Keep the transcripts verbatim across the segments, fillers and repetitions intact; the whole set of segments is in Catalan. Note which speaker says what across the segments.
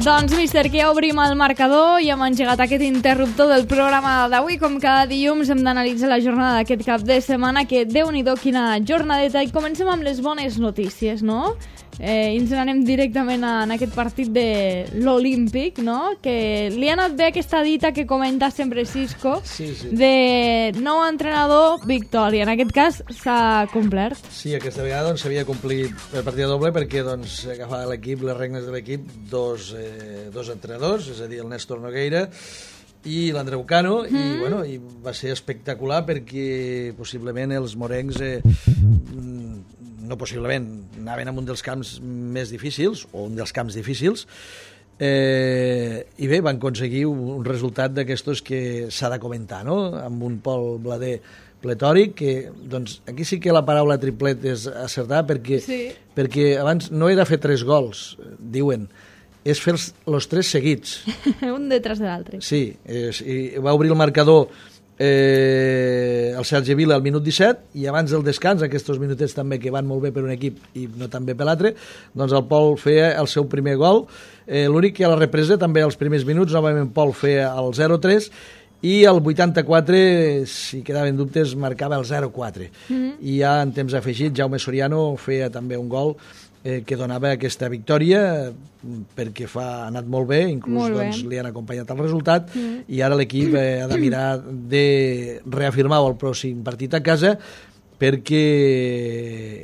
Speaker 1: Doncs, míster, que ja obrim el marcador i hem engegat aquest interruptor del programa d'avui. Com cada dilluns hem d'analitzar la jornada d'aquest cap de setmana, que déu-n'hi-do quina jornadeta. I comencem amb les bones notícies, no? Eh, ens n'anem directament a, en aquest partit de l'Olímpic, no? Que li ha anat bé aquesta dita que comenta sempre Xisco,
Speaker 2: sí, sí.
Speaker 1: de nou entrenador, victòria. En aquest cas s'ha complert.
Speaker 2: Sí, aquesta vegada doncs, s'havia complit el partit doble perquè doncs, agafava l'equip, les regnes de l'equip, dos, eh, dos entrenadors, és a dir, el Néstor Nogueira i l'Andreu Cano, mm. i, bueno, i va ser espectacular perquè possiblement els morencs eh, no possiblement, anaven a un dels camps més difícils, o un dels camps difícils, eh, i bé, van aconseguir un resultat d'aquestos que s'ha de comentar, no? Amb un Pol Blader pletòric, que, doncs, aquí sí que la paraula triplet és acertada, perquè,
Speaker 1: sí. perquè
Speaker 2: abans no era fer tres gols, diuen, és fer els, els tres seguits.
Speaker 1: Un detrás de l'altre.
Speaker 2: Sí, és, i va obrir el marcador Eh, el Sergi Vila al minut disset i abans del descans, aquests minutets també que van molt bé per un equip i no tan bé per l'altre, doncs el Pol feia el seu primer gol, eh, l'únic que a la represa també als primers minuts novament Pol feia el zero tres i al vuitanta-quatre, si quedaven dubtes, marcava el zero quatre. Mm-hmm. I ja en temps afegit Jaume Soriano feia també un gol eh, que donava aquesta victòria perquè fa, ha anat molt bé, inclús molt bé. Doncs, li han acompanyat el resultat mm. i ara l'equip eh, ha de mirar de reafirmar el pròxim partit a casa perquè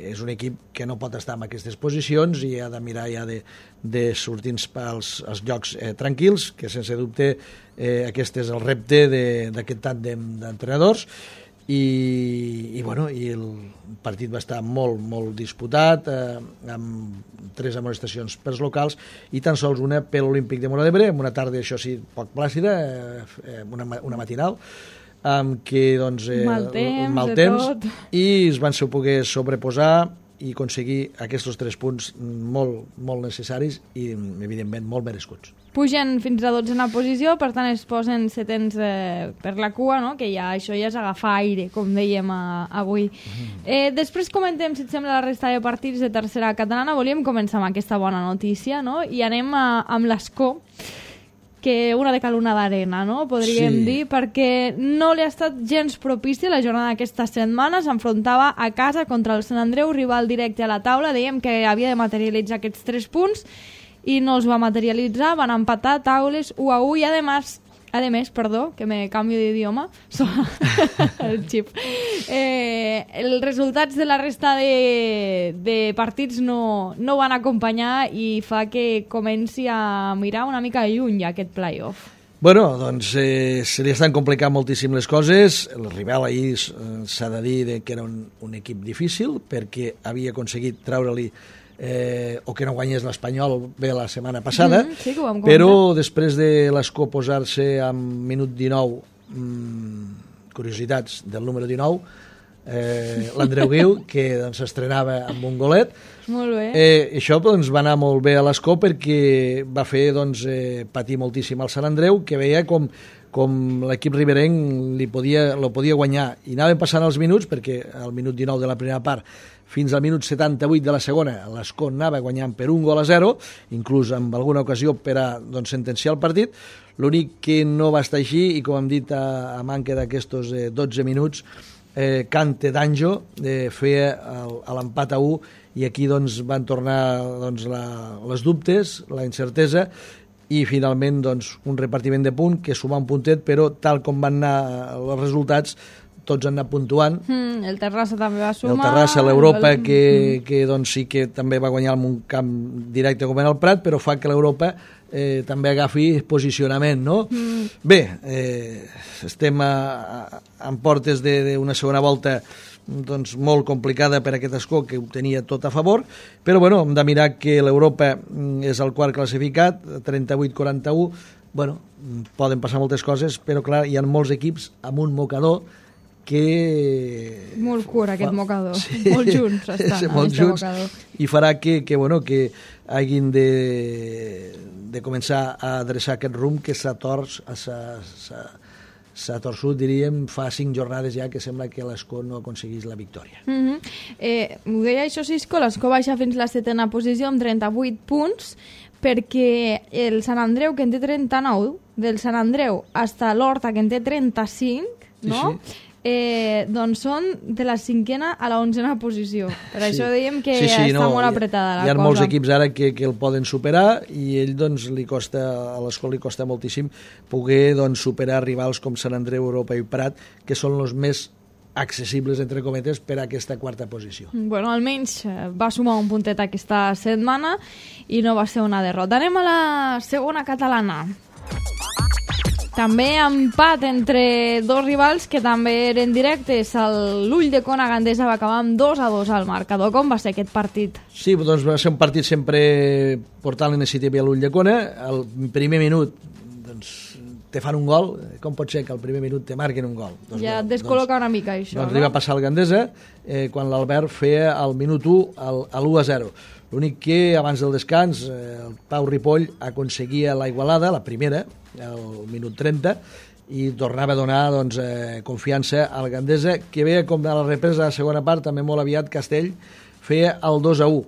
Speaker 2: és un equip que no pot estar en aquestes posicions i ha de mirar ja de, de sortir als, als llocs eh, tranquils, que sense dubte eh, aquest és el repte d'aquest tàndem d'entrenadors. I, i, bueno, i el partit va estar molt, molt disputat, eh, amb tres amonestacions pels locals i tan sols una per l'Olímpic de Móra d'Ebre, amb una tarda, això sí, poc plàcida, eh, una, una matinal, amb què, doncs, eh,
Speaker 1: mal temps,
Speaker 2: mal temps i es van poder sobreposar i aconseguir aquests tres punts molt, molt necessaris i, evidentment, molt merescuts.
Speaker 1: Pugen fins a dotzena posició, per tant es posen setens eh, per la cua, no? Que ja això ja és agafar aire, com dèiem a, avui. Mm. Eh, després comentem, si et sembla, la resta de partits de tercera catalana. Volíem començar amb aquesta bona notícia, no? I anem a, amb l'Escó, que una de cal una d'arena, no? Podríem sí. dir, perquè no li ha estat gens propici la jornada d'aquesta setmana. S'enfrontava a casa contra el Sant Andreu, rival directe a la taula. Dèiem que havia de materialitzar aquests tres punts i no els va materialitzar, van empatar taules u a u i además, además, perdó, que me canvio d'idioma, el xip. Eh, els resultats de la resta de, de partits no, no van acompanyar i fa que comenci a mirar una mica lluny aquest play-off.
Speaker 2: Bueno, doncs eh, se li estan complicant moltíssim les coses. El rival ahir eh, s'ha de dir de que era un, un equip difícil perquè havia aconseguit treure-li Eh, o que no guanyés l'Espanyol bé la setmana passada,
Speaker 1: mm, sí,
Speaker 2: però després de l'Escó posar-se en minut dinou, mmm, curiositats del número dinou, eh, l'Andreu Guiu, que doncs, s'estrenava amb un golet.
Speaker 1: Molt bé.
Speaker 2: Eh, això doncs, va anar molt bé a l'Escó perquè va fer doncs, eh, patir moltíssim al Sant Andreu, que veia com com l'equip riberenc li podia, lo podia guanyar. I anaven passant els minuts, perquè al minut dinou de la primera part fins al minut setanta-vuit de la segona l'Escó anava guanyant per un gol a zero, inclús amb alguna ocasió per a doncs, sentenciar el partit. L'únic que no va estar així, i com hem dit a, a manca d'aquests eh, dotze minuts, eh, Cante d'Anjo eh, feia el, l'empat a u, i aquí doncs, van tornar doncs, la, les dubtes, la incertesa, i finalment doncs, un repartiment de punt que suma un puntet, però tal com van anar els resultats tots han anat puntuant.
Speaker 1: Mm, el Terrassa també va sumar.
Speaker 2: El Terrassa, l'Europa, el... que, que doncs, sí que també va guanyar en un camp directe com en el Prat, però fa que l'Europa eh, també agafi posicionament, no? Mm. Bé, eh, estem a, a, en portes d'una segona volta doncs, molt complicada per aquest Escó, que ho tenia tot a favor, però bueno, hem de mirar que l'Europa és el quart classificat, trenta-vuit quaranta-u, bueno, poden passar moltes coses, però clar, hi ha molts equips amb un mocador que...
Speaker 1: Molt curt aquest mocador, sí, molt junts estan,
Speaker 2: sí, molt junts, mocador. I farà que, que, bueno, que hagin de, de començar a adreçar aquest rumb que s'ha tors, s'ha s'ha torçut, diríem, fa cinc jornades ja que sembla que l'Escó no aconseguís la victòria.
Speaker 1: Mm -hmm. eh, M'ho deia això, Cisco, l'Escó baixa fins la setena posició amb trenta-vuit punts, perquè el Sant Andreu, que en té trenta-nou, del Sant Andreu fins a l'Horta, que en té trenta-cinc, no? Sí, sí. Eh, doncs són de la cinquena a la onzena posició. Per sí. això dèiem que sí, sí, està no, molt apretada la cosa.
Speaker 2: Hi ha cosa. molts equips ara que, que el poden superar i ell doncs li costa, a l'Escó li costa moltíssim poder doncs, superar rivals com Sant Andreu, Europa i Prat, que són els més accessibles, entre cometes, per a aquesta quarta posició.
Speaker 1: Bueno, almenys va sumar un puntet aquesta setmana i no va ser una derrota. Anem a la segona catalana. També empat entre dos rivals que també eren directes. L'Ull de Cona Gandesa va acabar amb dos a dos al marcador. Com va ser aquest partit?
Speaker 2: Sí, doncs va ser un partit sempre portant l'iniciativa a l'Ull de Cona. Al primer minut doncs, te fan un gol. Com pot ser que al primer minut te marquen un gol? Doncs,
Speaker 1: ja et descol·loca doncs, una mica això,
Speaker 2: doncs
Speaker 1: no?
Speaker 2: Li va passar al Gandesa eh, quan l'Albert feia al minut u a l'u a zero. L'únic que abans del descans eh, el Pau Ripoll aconseguia la igualada, la primera, al minut trenta, i tornava a donar doncs, eh, confiança al Gandesa, que veia com a la represa de la segona part també molt aviat Castell feia el dos a u.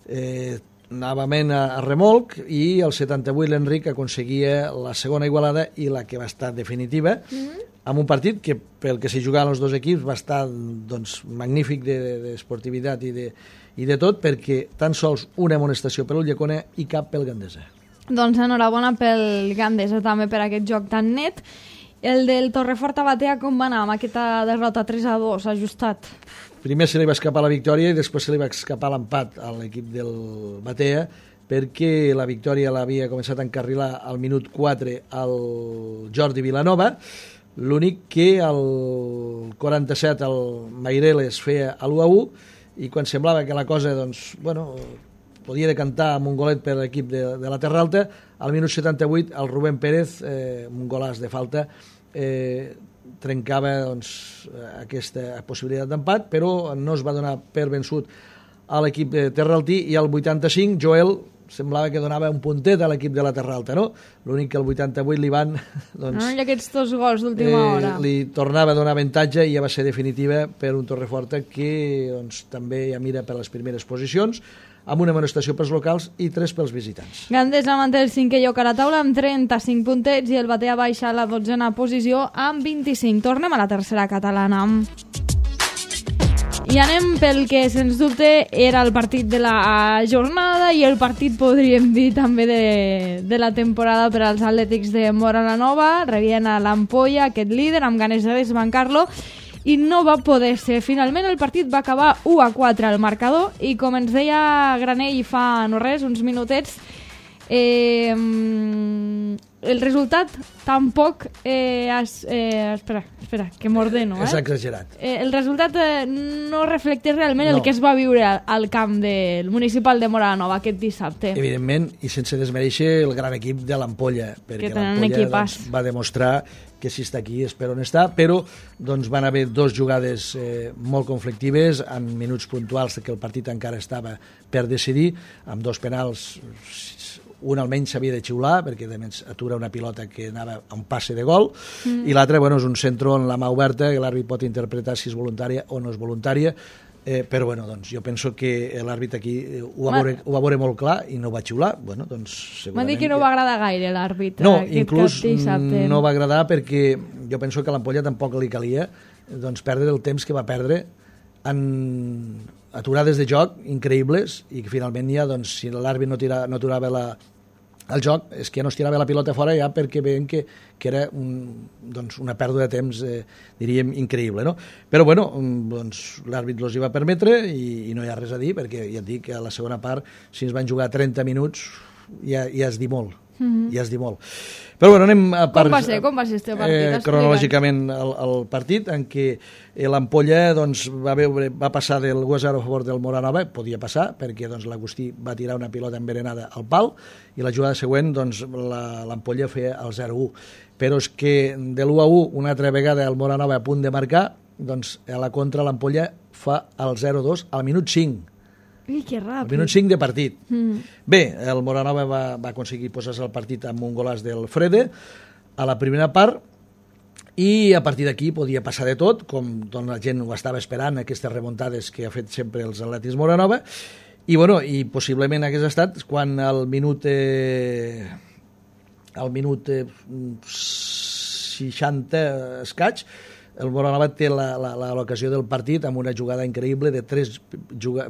Speaker 2: Eh, novament a, a remolc, i al setanta-vuit l'Enric aconseguia la segona igualada i la que va estar definitiva, mm-hmm. amb un partit que pel que s'hi jugaven els dos equips va estar doncs, magnífic d'esportivitat de, de, i, de, i de tot, perquè tan sols una amonestació per l'Ull de Cona i cap pel Gandesa.
Speaker 1: Doncs enhorabona pel Gandesa també per aquest joc tan net. El del Torrefort a Batea com va anar amb aquesta derrota tres a dos ajustat?
Speaker 2: Primer se li va escapar la victòria i després se li va escapar l'empat a l'equip del Batea, perquè la victòria l'havia començat a encarrilar al minut quatre al Jordi Vilanova. L'únic que al quaranta-set el Maireles feia l'u a u i quan semblava que la cosa doncs, bueno, podia decantar amb un golet per l'equip de, de la Terra Alta, al minut setanta-vuit el Rubén Pérez, eh, un golàs de falta, eh, trencava doncs, aquesta possibilitat d'empat, però no es va donar per vençut a l'equip de Terraltí, i al vuitanta-cinc Joel semblava que donava un puntet a l'equip de la Terra Alta, no? L'únic que al vuitanta-vuit li van doncs,
Speaker 1: no, i aquests dos gols d'última
Speaker 2: eh,
Speaker 1: hora
Speaker 2: li tornava a donar avantatge i ja va ser definitiva per un Torreforta que doncs, també ja mira per les primeres posicions, amb una amonestació pels locals i tres pels visitants.
Speaker 1: Gandesa manté el cinquè lloc a la taula amb trenta-cinc puntets i el Batea baixa a la dotzena posició amb vint-i-cinc. Tornem a la tercera catalana. I anem pel que, sens dubte, era el partit de la jornada i el partit, podríem dir, també de, de la temporada per als Atlètics de Móra la Nova. Rebien a l'Ampolla, aquest líder, amb ganes de desbancar-lo, i no va poder ser. Finalment el partit va acabar u a quatre al marcador i, com ens deia Granell fa no res, uns minutets, eh, el resultat tampoc eh, es, eh, espera, espera, que m'ordeno, eh?
Speaker 2: És exagerat.
Speaker 1: Eh, el resultat eh, no reflecteix realment
Speaker 2: no.
Speaker 1: el que es va viure al, al camp del municipal de Móra la Nova aquest dissabte.
Speaker 2: Evidentment, i sense desmereixer el gran equip de l'Ampolla, perquè l'Ampolla doncs, va demostrar que si està aquí és per on està, però doncs, van haver dos jugades eh, molt conflictives en minuts puntuals que el partit encara estava per decidir, amb dos penals, un almenys s'havia de xiular perquè a més atura una pilota que anava a un passe de gol, mm. i l'altre bueno, és un centre en la mà oberta que l'àrbit pot interpretar si és voluntària o no és voluntària, eh, però bueno, doncs, jo penso que l'àrbit aquí ho va, veure, ho va veure molt clar i no va xiular. Bueno, doncs,
Speaker 1: m'ha dit que no va agradar gaire l'àrbit.
Speaker 2: No, inclús no va agradar perquè jo penso que a l'Ampolla tampoc li calia doncs, perdre el temps que va perdre en aturades de joc increïbles i que finalment ja, doncs, si l'àrbit no, tira, no aturava la, el joc, és que ja no es tirava la pilota fora ja perquè veien que, que era un, doncs, una pèrdua de temps, eh, diríem, increïble, no? Però, bueno, doncs, l'àrbit els hi va permetre i, i no hi ha res a dir perquè ja et dic que a la segona part, si ens van jugar trenta minuts, ja, ja es dir molt. Mm-hmm. Ja es dir molt. Però bueno, anem a part,
Speaker 1: com va ser, com va ser este partit?
Speaker 2: Eh, cronològicament el, el partit en què l'Ampolla doncs, va, veure, va passar del u a zero a favor del Móra Nova, podia passar perquè doncs, l'Agustí va tirar una pilota envenenada al pal i la jugada següent doncs, l'Ampolla feia el zero a u, però és que de l'u a u una altra vegada el Móra Nova a punt de marcar, doncs a la contra l'Ampolla fa el zero a dos al minut cinc.
Speaker 1: Ui, que ràpid.
Speaker 2: Al minut cinc de partit. Mm. Bé, el Móra Nova va, va aconseguir posar-se al partit amb un golàs del Frede a la primera part i a partir d'aquí podia passar de tot, com doncs, la gent ho estava esperant, aquestes remuntades que ha fet sempre els Atlètics Moranova, i, bueno, i possiblement hagués estat quan al minut eh, al minut eh, seixanta escaig el Moranova té l'ocasió del partit amb una jugada increïble de tres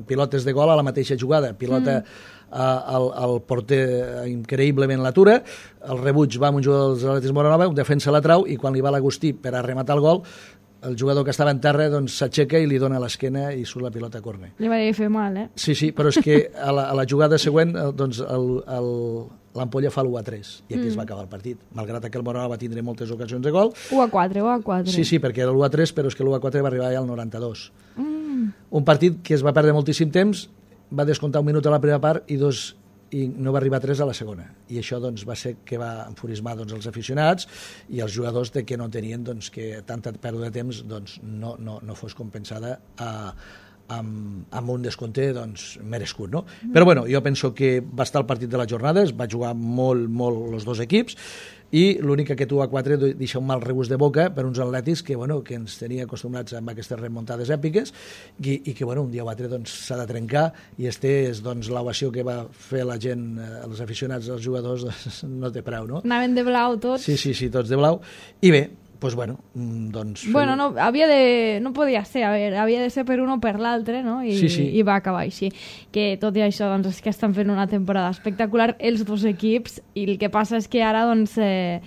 Speaker 2: pilotes de gol a la mateixa jugada, pilota mm. al, al porter increïblement l'atura, el rebuig va amb un jugador dels Atlètics Moranova, un defensa la trau, i quan li va l'Agustí per a rematar el gol, el jugador que estava en terra doncs, s'aixeca i li dona l'esquena i surt la pilota a córner.
Speaker 1: Li va dir fer mal, eh?
Speaker 2: Sí, sí, però és que a la, a la jugada següent doncs, l'Ampolla fa l'u a tres i aquí mm. es va acabar el partit, malgrat que el Moranova va tindre moltes ocasions de gol.
Speaker 1: u a quatre, u a quatre.
Speaker 2: Sí, sí, perquè era l'u a tres, però és que l'u a quatre va arribar ja al noranta-dos.
Speaker 1: Mm.
Speaker 2: Un partit que es va perdre moltíssim temps, va descomptar un minut a la primera part i dos i no va arribar a tres a la segona, i això doncs, va ser que va enfurismar doncs, els aficionats i els jugadors de que no tenien doncs, que tanta pèrdua de temps doncs, no, no, no fos compensada a, amb, amb un descompte doncs, merescut, no? Mm. Però bueno, jo penso que va estar el partit de la jornada, es va jugar molt, molt els dos equips, i l'únic que u a quatre deixa un mal regust de boca per uns atlètics que, bueno, que ens tenia acostumats amb aquestes remuntades èpiques i, i que bueno, un dia o altre doncs, s'ha de trencar, i este és doncs, l'ovació que va fer la gent, els aficionats, els jugadors, doncs, no té preu, no?
Speaker 1: Anaven de blau tots.
Speaker 2: Sí, sí, sí, tots de blau. I bé, doncs bueno, doncs...
Speaker 1: Bueno, no, havia de... no podia ser, a veure, havia de ser per un o per l'altre, no? I,
Speaker 2: sí, sí.
Speaker 1: I va acabar així. Que tot i això, doncs, és que estan fent una temporada espectacular els dos equips, i el que passa és que ara, doncs, eh,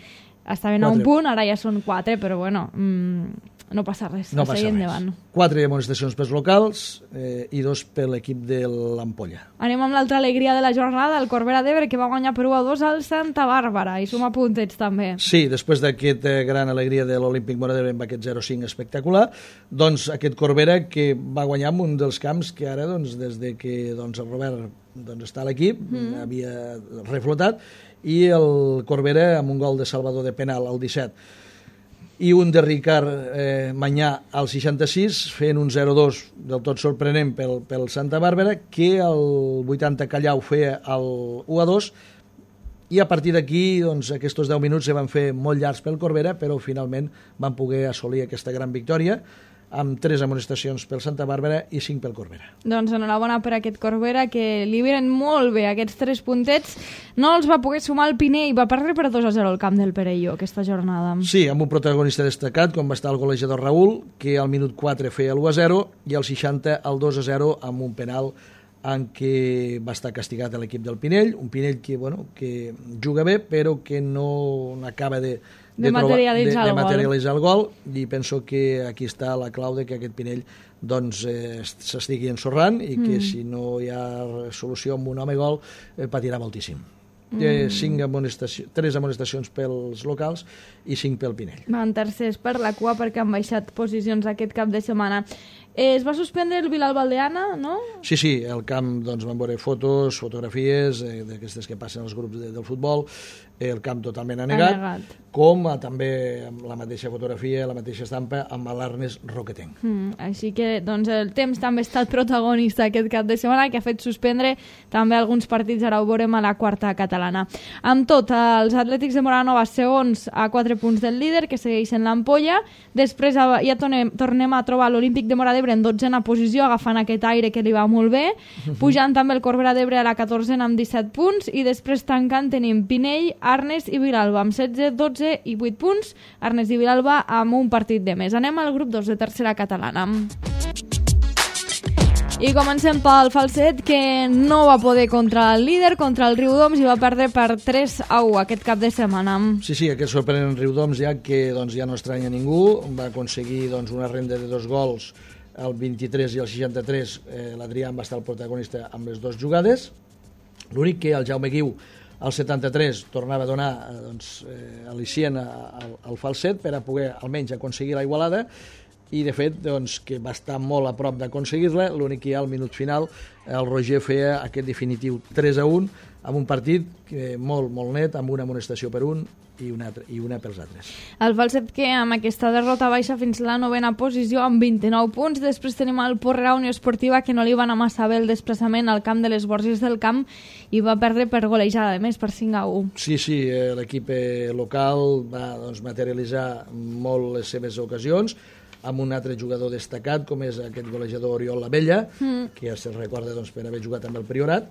Speaker 1: estaven a un punt, ara ja són quatre, però bueno... Mm, no passa res,
Speaker 2: no
Speaker 1: a seguir endavant.
Speaker 2: Quatre amonestacions pels locals eh, i dos per l'equip de l'Ampolla.
Speaker 1: Anem amb l'altra alegria de la jornada, el Corbera d'Ebre, que va guanyar per u a dos al Santa Bàrbara, i suma puntets també.
Speaker 2: Sí, després d'aquesta gran alegria de l'Olímpic Mora d'Ebre amb aquest zero a cinc espectacular, doncs aquest Corbera que va guanyar en un dels camps que ara, doncs, des de que doncs, el Robert doncs, està a l'equip, mm. havia reflotat, i el Corbera amb un gol de Salvador de penal al disset i un de Ricard eh, Manyà al seixanta-sis, fent un zero a dos del tot sorprenent pel, pel Santa Bàrbara, que el vuitanta Callau feia el u a dos, i a partir d'aquí doncs, aquests deu minuts se van fer molt llargs pel Corbera, però finalment van poder assolir aquesta gran victòria amb tres amonestacions pel Santa Bàrbara i cinc pel Corbera.
Speaker 1: Doncs enhorabona per aquest Corbera, que li venen molt bé aquests tres puntets. No els va poder sumar el Pinell, va perdre per dos a zero al camp del Perelló aquesta jornada.
Speaker 2: Sí, amb un protagonista destacat, com va estar el golejador Raül, que al minut quatre feia l'u a zero i al seixanta el dos a zero amb un penal en què va estar castigat l'equip del Pinell, un Pinell que, bueno, que juga bé, però que no acaba de
Speaker 1: de, de materialitzar,
Speaker 2: de, de materialitzar el gol, i penso que aquí està la clau de que aquest Pinell doncs, eh, s'estigui ensorrant i que mm. si no hi ha solució amb un home gol eh, patirà moltíssim. Mm. Eh, cinc amonestacions, tres amonestacions pels locals i cinc pel Pinell.
Speaker 1: Van tercers per la cua perquè han baixat posicions aquest cap de setmana. Eh, es va suspendre el Vilalba Aldeana, no?
Speaker 2: Sí, sí, el camp doncs, van veure fotos, fotografies eh, d'aquestes que passen als grups de, del futbol, eh, el camp totalment anegat, anegat. com a, també amb la mateixa fotografia, la mateixa estampa, amb l'Arnes Roquetenc.
Speaker 1: Mm, així que doncs, el temps també ha estat protagonista aquest cap de setmana, que ha fet suspendre també alguns partits, ara ho veurem a la quarta catalana. Amb tot, els Atlètics de Moranova segons a quatre punts del líder, que segueixen l'Ampolla, després ja tornem, tornem a trobar l'Olímpic de Mora d'Ebre en dotzena posició, agafant aquest aire que li va molt bé, pujant també el Corbera d'Ebre a la catorzena amb disset punts, i després tancant tenim Pinell, Arnes i Vilalba amb setze, dotze i vuit punts, Arnes i Vilalba amb un partit de més. Anem al grup dos de tercera catalana. I comencem pel Falset, que no va poder contra el líder, contra el Riudoms, i va perdre per tres a u aquest cap de setmana.
Speaker 2: Sí, sí, aquest sorprenent Riudoms, ja que doncs, ja no estranya ningú, va aconseguir doncs, una renda de dos gols el vint-i-tres i el seixanta-tres. eh, l'Adrià va estar el protagonista amb les dues jugades. L'únic que el Jaume Guiu al setanta-tres tornava a donar eh, doncs, eh, al·licient al, al Falset per a poder almenys aconseguir la igualada, i de fet doncs, que va estar molt a prop d'aconseguir-la. L'únic que ja al minut final el Roger feia aquest definitiu tres a un amb un partit que molt, molt net, amb una amonestació per un i una, altra, i una pels altres.
Speaker 1: El Falset, que amb aquesta derrota baixa fins la novena posició amb vint-i-nou punts. Després tenim el Porrera Unió Esportiva, que no li va anar massa bé el desplaçament al camp de les Borges del Camp i va perdre per golejada, a més, per cinc a u.
Speaker 2: Sí, sí, eh, l'equip eh, local va doncs, materialitzar molt les seves ocasions, amb un altre jugador destacat, com és aquest golejador Oriol Lavella, mm. que ja se'l recorda doncs, per haver jugat amb el Priorat,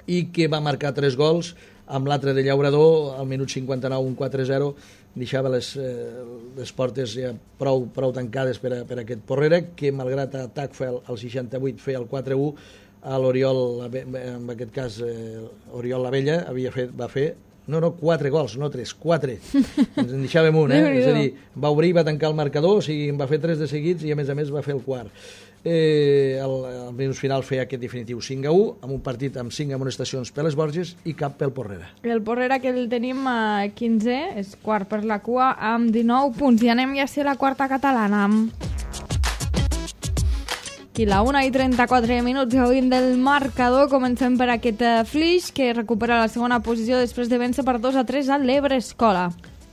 Speaker 2: i que va marcar tres gols, amb l'altre de Llaurador, al minut cinquanta-nou, un quatre zero, deixava les, eh, les portes ja prou, prou tancades per a, per a aquest Porrera, que malgrat atac el, el seixanta-vuit feia el quatre u, a l'Oriol, en aquest cas eh, Oriol Lavella, havia fet, va fer no, no, quatre gols, no tres, quatre. Ens en deixàvem un, eh? És a dir, va obrir i va tancar el marcador, o sigui, en va fer tres de seguits i a més a més va fer el quart. Eh, el, el minut final feia aquest definitiu cinc a u, amb un partit amb cinc amonestacions per les Borges i cap pel Porrera.
Speaker 1: El Porrera, que el tenim a quinze, és quart per la cua amb dinou punts. I anem ja a ser la quarta catalana. I la una i trenta-quatre minuts gaudint del marcador. Comencem per aquest Flix, que recupera la segona posició després de vèncer per dos a tres a l'Ebre Escola.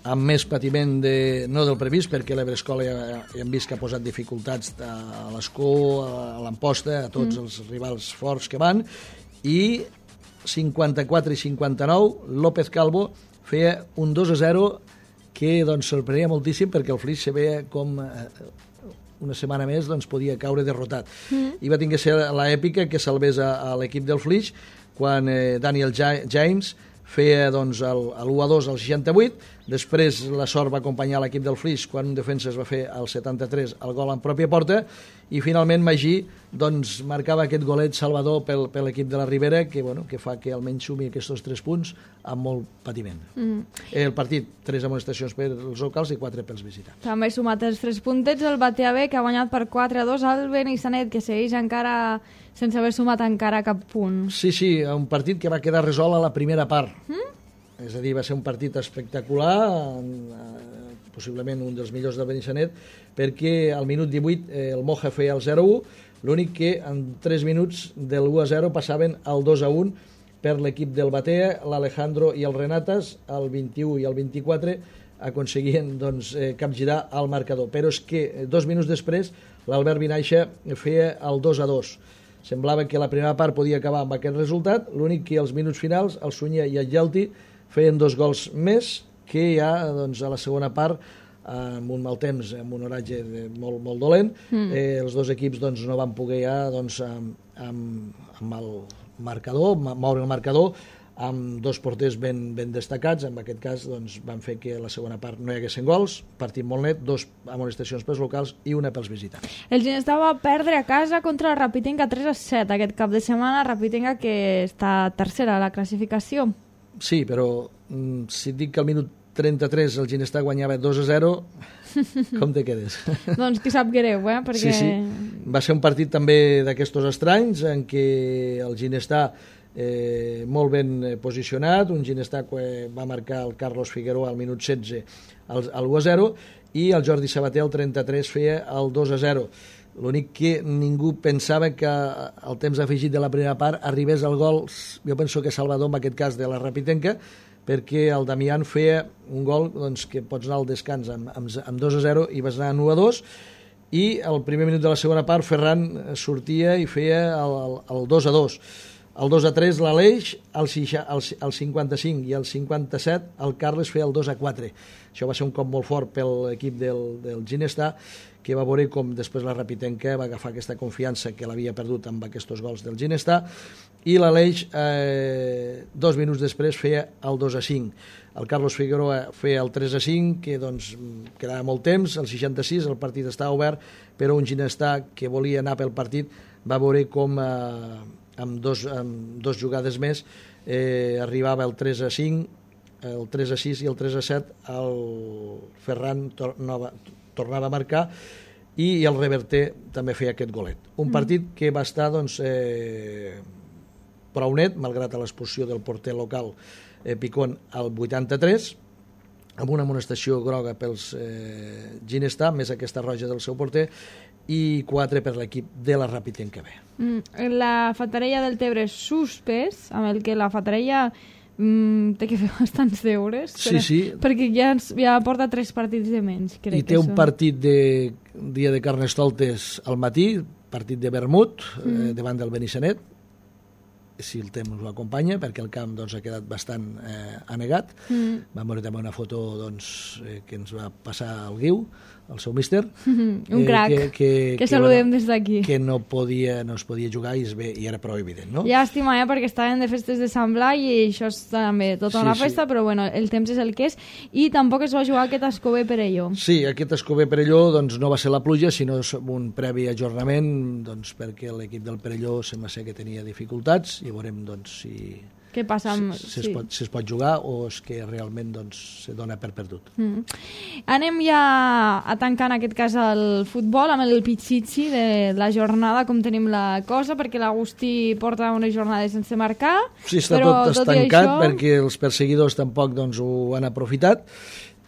Speaker 2: Amb més patiment de, no del previst, perquè l'Ebre Escola ja, ja hem vist que ha posat dificultats a l'Escó, a l'Amposta, a tots mm. els rivals forts que van, i cinquanta-quatre i cinquanta-nou, López Calvo feia un dos a zero que doncs, sorprenia moltíssim, perquè el Flix se veia com eh, una setmana més doncs, podia caure derrotat. Mm. I va tenir que ser l'èpica que salvés a, a l'equip del Flix quan eh, Daniel James feia doncs, el, el u a dos al seixanta-vuit, després la sort va acompanyar l'equip del Flix quan un defensa es va fer al setanta-tres el gol en pròpia porta, i finalment Magí doncs, marcava aquest golet salvador pel, per l'equip de la Ribera, que, bueno, que fa que almenys sumi aquests tres punts amb molt patiment. Mm. El partit, tres amonestacions per els locals i quatre pels visitants.
Speaker 1: També ha sumat els tres puntets el Batea B, que ha guanyat per quatre a dos al Benissanet, que segueix encara sense haver sumat encara cap punt.
Speaker 2: Sí, sí, un partit que va quedar resolt a la primera part. Mm? És a dir, va ser un partit espectacular, eh, possiblement un dels millors del Benissanet, perquè al minut divuit eh, el Moja feia el zero a u, l'únic que en tres minuts del u a zero passaven al dos a un per l'equip del Batea, l'Alejandro i el Renatas, el vint-i-u i el vint-i-quatre, aconseguien doncs, eh, capgirar el marcador. Però és que dos minuts després l'Albert Vinaixa feia el dos a dos. Semblava que la primera part podia acabar amb aquest resultat, l'únic que als minuts finals el Sunyer i el Gelti feien dos gols més, que ja doncs, a la segona part, amb un mal temps, amb un horatge molt, molt dolent, mm. eh, els dos equips doncs, no van poder ja doncs, amb, amb, amb el marcador, moure el marcador, amb dos porters ben, ben destacats. En aquest cas doncs, van fer que la segona part no hi haguessin gols, partit molt net, dos amonestacions pels locals i una pels visitants.
Speaker 1: El Ginestà va perdre a casa contra la Rapitenca tres a set aquest cap de setmana, Rapitenca que està tercera a la classificació.
Speaker 2: Sí, però si et dic que al minut trenta-tres el Ginestà guanyava dos a zero, com te quedes?
Speaker 1: Doncs qui sap greu, eh? Perquè...
Speaker 2: Sí, sí. Va ser un partit també d'aquestos estranys en què el Ginestà Eh, molt ben posicionat, un Ginestà que va marcar el Carlos Figueroa al minut setze al, al u a zero, i el Jordi Sabater al trenta-tres feia el dos a zero. L'únic que ningú pensava que al temps afegit de la primera part arribés el gol, jo penso que Salvador en aquest cas de la Rapitenca, perquè el Damián feia un gol doncs, que pots anar al descans amb, amb, amb dos a zero i vas anar en u a dos, i al primer minut de la segona part Ferran sortia i feia el, el, el dos a dos. El dos a tres l'Aleix, el, el, el cinquanta-cinc i el cinquanta-set el Carles feia el dos a quatre. Això va ser un cop molt fort per l'equip del, del Ginestà, que va veure com després la Rapitenca va agafar aquesta confiança que l'havia perdut amb aquests gols del Ginestà, i l'Aleix eh, dos minuts després feia el dos a cinc. El Carlos Figueroa feia el tres a cinc, que doncs, quedava molt temps, el seixanta-sis el partit estava obert, però un Ginestà que volia anar pel partit va veure com eh, amb dos, amb dos jugades més eh, arribava el tres a cinc, el tres a sis i el tres a set, el Ferran tornava, tornava a marcar, i el Reverter també feia aquest golet. Un partit que va estar doncs, eh, prou net, malgrat l'expulsió del porter local eh, Picón al vuitanta-tres, amb una amonestació groga pels eh, Ginestà, més aquesta roja del seu porter, i quatre per l'equip de la Rapitenca B.
Speaker 1: Mm, la Fatarella del Tebre suspès, amb el que la Fatarella mm, té que fer bastants deures.
Speaker 2: Sí,
Speaker 1: però,
Speaker 2: sí.
Speaker 1: Perquè ja, ja porta tres partits de menys, crec.
Speaker 2: I té
Speaker 1: que
Speaker 2: un
Speaker 1: són.
Speaker 2: partit de dia de Carnestoltes al matí, partit de vermut, mm. eh, davant del Benissanet, si el temps ho acompanya, perquè el camp doncs, ha quedat bastant eh, anegat. Mm. Vam veure també una foto doncs, eh, que ens va passar el Guiu, el seu míster.
Speaker 1: Mm-hmm. Un crac,
Speaker 2: eh, que, que,
Speaker 1: que saludem bueno, des d'aquí.
Speaker 2: Que no, podia, no es podia jugar i, es ve, i era prou evident, no?
Speaker 1: Llàstima, eh, perquè estaven de festes de Sant Blai i això és també tota una sí, festa, sí. Però bueno, el temps és el que és. I tampoc es va jugar aquest Escober Perelló.
Speaker 2: Sí, aquest Escober Perelló doncs, no va ser la pluja, sinó un previ ajornament, doncs, perquè l'equip del Perelló sembla ser que tenia dificultats i veurem doncs, si...
Speaker 1: Què passa amb...
Speaker 2: Si, si,
Speaker 1: sí.
Speaker 2: es pot, si es pot jugar o és que realment doncs, se dona per perdut.
Speaker 1: Mm. Anem ja a tancar en aquest cas el futbol amb el pitxitxi de la jornada, com tenim la cosa, perquè l'Agustí porta unes jornades sense marcar.
Speaker 2: Sí, està
Speaker 1: però,
Speaker 2: tot estancat això... perquè els perseguidors tampoc doncs, ho han aprofitat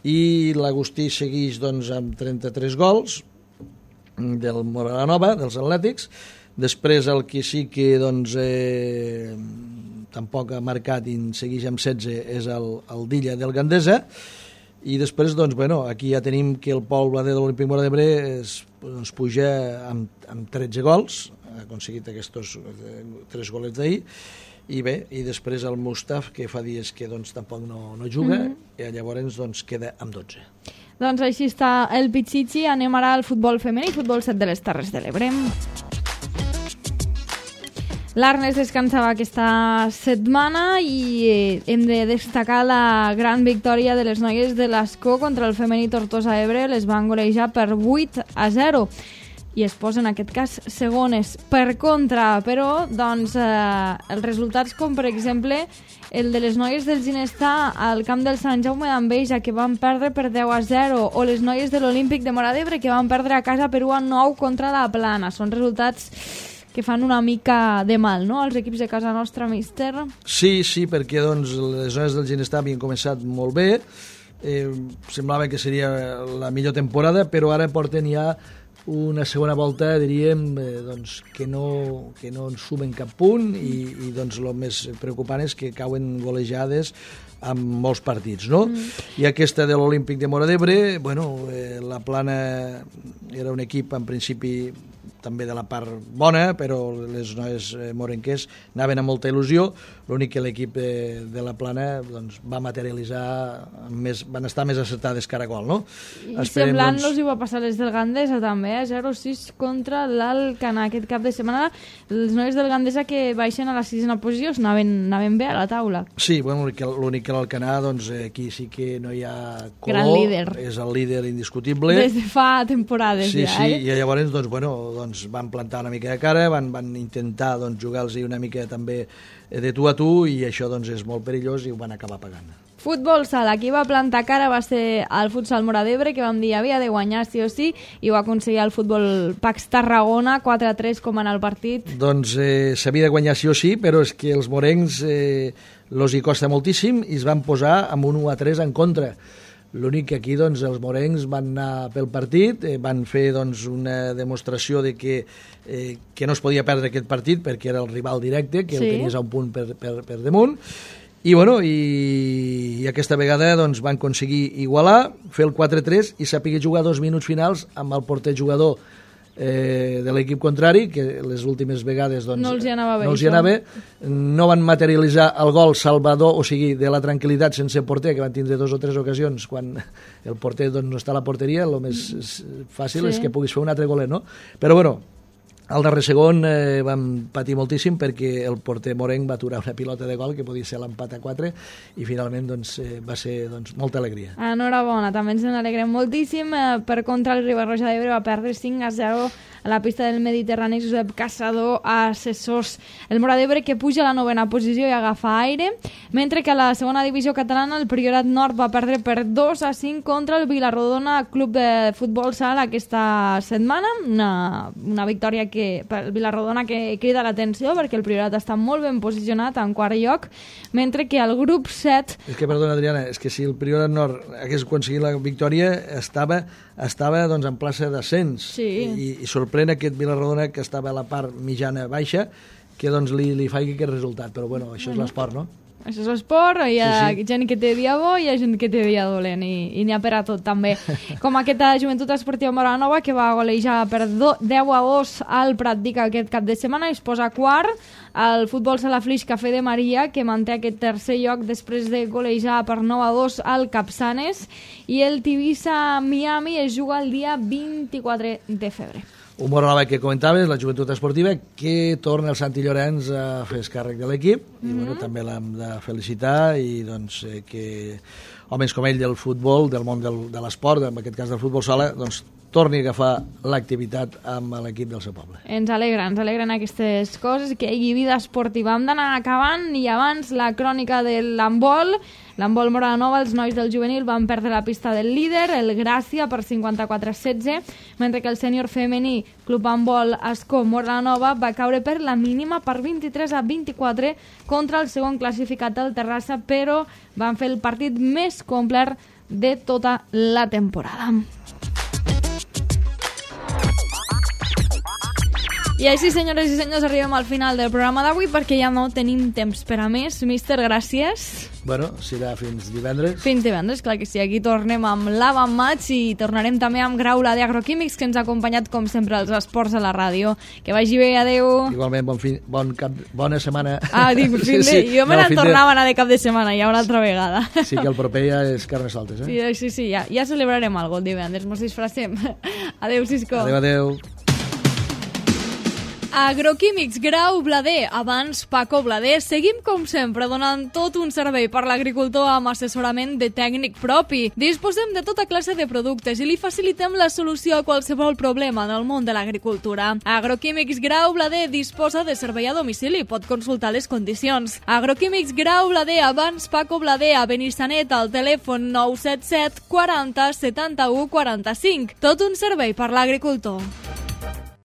Speaker 2: i l'Agustí segueix doncs, amb trenta-tres gols del Moranova, dels Atlètics. Després el que sí que doncs, eh, tampoc ha marcat i segueix amb setze és el, el Dilla del Gandesa i després doncs, bueno, aquí ja tenim que el Pol Blader de l'Olímpic Móra d'Ebre es, doncs, puja amb, amb tretze gols, ha aconseguit aquests eh, tres golets d'ahir i bé, i després el Mustaf que fa dies que doncs, tampoc no, no juga mm-hmm. i llavors doncs, queda amb dotze.
Speaker 1: Doncs així està el pitxitxi. Anem ara al futbol femení, futbol set de les Terres de l'Ebre. L'Arnes descansava aquesta setmana i hem de destacar la gran victòria de les noies de l'Escó contra el femení Tortosa Ebre. Les van golejar per vuit a zero i es posen en aquest cas segones. Per contra, però, doncs, eh, els resultats com per exemple el de les noies del Ginestà al camp del Sant Jaume d'Enveja que van perdre per deu a zero o les noies de l'Olímpic de Móra d'Ebre que van perdre a casa per u a nou contra la Plana. Són resultats que fan una mica de mal, no?, als equips de casa nostra, míster.
Speaker 2: Sí, sí, perquè doncs, les zones del Ginestà havien començat molt bé, eh, semblava que seria la millor temporada, però ara porten ja una segona volta, diríem, eh, doncs, que, no, que no en sumen cap punt i, i doncs, el més preocupant és que cauen golejades amb molts partits, no? Mm. I aquesta de l'Olímpic de Móra d'Ebre, bueno, eh, la Plana era un equip en principi també de la part bona, però les noies eh, morenques anaven amb molta il·lusió, l'únic que l'equip de, de la Plana doncs, va materialitzar, més, van estar més acertades cara a gol, no?
Speaker 1: I Esperem, semblant-los doncs... hi va passar les del Gandesa també, eh? zero a sis contra l'Alcanar aquest cap de setmana. Les noies del Gandesa que baixen a la sisena posició anaven, anaven bé a la taula.
Speaker 2: Sí, bueno, l'únic que l'Alcanar, doncs aquí sí que no hi ha color.
Speaker 1: Gran líder.
Speaker 2: És el líder indiscutible.
Speaker 1: Des de fa temporades
Speaker 2: sí,
Speaker 1: ja,
Speaker 2: sí,
Speaker 1: eh?
Speaker 2: I llavors, doncs, bueno, doncs van plantar una mica de cara, van, van intentar doncs, jugar-los una mica també de tu a tu i això doncs, és molt perillós i ho van acabar pagant.
Speaker 1: Futbol sala, qui va plantar cara va ser el futsal Móra d'Ebre, que vam dir havia de guanyar sí o sí, i ho va aconseguir el futbol Pax Tarragona, quatre a tres com en el partit.
Speaker 2: Doncs eh, s'havia de guanyar sí o sí, però és que els morencs eh, los hi costa moltíssim i es van posar amb un u a tres en contra. L'únic que aquí doncs, els morencs van anar pel partit, eh, van fer doncs, una demostració de que, eh, que no es podia perdre aquest partit perquè era el rival directe, que sí. el tenies a un punt per, per, per damunt, i, bueno, i, i aquesta vegada doncs, van aconseguir igualar, fer el quatre a tres i saber jugar dos minuts finals amb el porter jugador eh, de l'equip contrari, que les últimes vegades doncs,
Speaker 1: no els hi anava bé.
Speaker 2: No, els hi anava, no van materialitzar el gol salvador, o sigui, de la tranquil·litat sense porter, que van tindre dos o tres ocasions quan el porter doncs, no està a la porteria, el més fàcil sí. és que puguis fer un altre golet, no? Però bueno, al darrer segon eh, vam patir moltíssim perquè el porter morenc va aturar una pilota de gol que podia ser l'empat a quatre i finalment doncs, eh, va ser doncs, molta alegria.
Speaker 1: Enhorabona, també ens n'alegrem moltíssim. Eh, per contra, el Ribarroja d'Ebre va perdre cinc a zero a la pista del Mediterrani Josep Caçador a Assessors. El Móra d'Ebre que puja a la novena posició i agafa aire, mentre que a la segona divisió catalana el Priorat Nord va perdre per dos a cinc contra el Vilarrodona Club de Futbol Sala aquesta setmana. Una, una victòria que per el Vilarrodona que crida l'atenció perquè el Priorat està molt ben posicionat en quart lloc, mentre que el grup set...
Speaker 2: És que, perdona, Adriana, és que si el Priorat Nord hagués aconseguit la victòria estava, estava doncs, en plaça d'ascens
Speaker 1: sí.
Speaker 2: i, i sorprèn aquest Vilarrodona que estava a la part mitjana baixa que doncs li, li faci aquest resultat, però bueno, això és l'esport, no?
Speaker 1: això és l'esport, hi ha
Speaker 2: Sí, sí.
Speaker 1: gent que té dia bo i hi ha gent que té dia dolent, i, i n'hi ha per a tot, també. Com aquesta Joventut Esportiva Moranova, que va golejar per do, deu a dos al Pratdic aquest cap de setmana, i es posa quart. El Futbol Sala Flix Café de Maria, que manté aquest tercer lloc després de golejar per nou a dos al Capçanes, i el Tivissa Miami es juga el dia vint-i-quatre de febrer.
Speaker 2: Un Moranova que comentaves, la Joventut Esportiva, que torna el Santi Llorenç a fer càrrec de l'equip, mm -hmm. i bueno, també l'hem de felicitar, i doncs eh, que homes com ell del futbol, del món del, de l'esport, en aquest cas del futbol sala, doncs torni a agafar l'activitat amb l'equip del seu poble.
Speaker 1: Ens alegra, ens alegren aquestes coses, que hi hagi vida esportiva. Hem d'anar acabant, i abans la crònica de l'handbol. L'handbol Moranova, els nois del juvenil van perdre la pista del líder, el Gràcia, per cinquanta-quatre a setze, mentre que el sènior femení Club Handbol Ascó Moranova va caure per la mínima per vint-i-tres a vint-i-quatre contra el segon classificat, el Terrassa, però van fer el partit més complet de tota la temporada. I així, senyores i senyors, arribem al final del programa d'avui, perquè ja no tenim temps per a més. Míster, gràcies.
Speaker 2: Bueno, serà fins divendres.
Speaker 1: Fins divendres, clar que sí. Aquí tornem amb l'Avan Match, i tornarem també amb Graula d'Agroquímics, que ens ha acompanyat, com sempre, als esports a la ràdio. Que vagi bé, adeu.
Speaker 2: Igualment, bon fin, bon cap, bona setmana.
Speaker 1: Ah, dic, fin de... Sí, sí. Jo me
Speaker 2: no,
Speaker 1: n'en
Speaker 2: de...
Speaker 1: tornava a anar de cap de setmana, ja una altra vegada.
Speaker 2: Sí, que el proper ja és Carnestoltes, eh?
Speaker 1: Sí, sí, sí, ja, ja celebrarem alguna cosa divendres, mos disfracem. Adeu, Cisco.
Speaker 2: Adeu, adeu.
Speaker 1: Agroquímics Grau Blader, abans Paco Blader. Seguim, com sempre, donant tot un servei per l'agricultor amb assessorament de tècnic propi. Disposem de tota classe de productes i li facilitem la solució a qualsevol problema en el món de l'agricultura. Agroquímics Grau Blader disposa de servei a domicili. Pot consultar les condicions. Agroquímics Grau Blader, abans Paco Blader, a Benissanet, al telèfon nou set set quaranta setanta-u quaranta-cinc. Tot un servei per l'agricultor.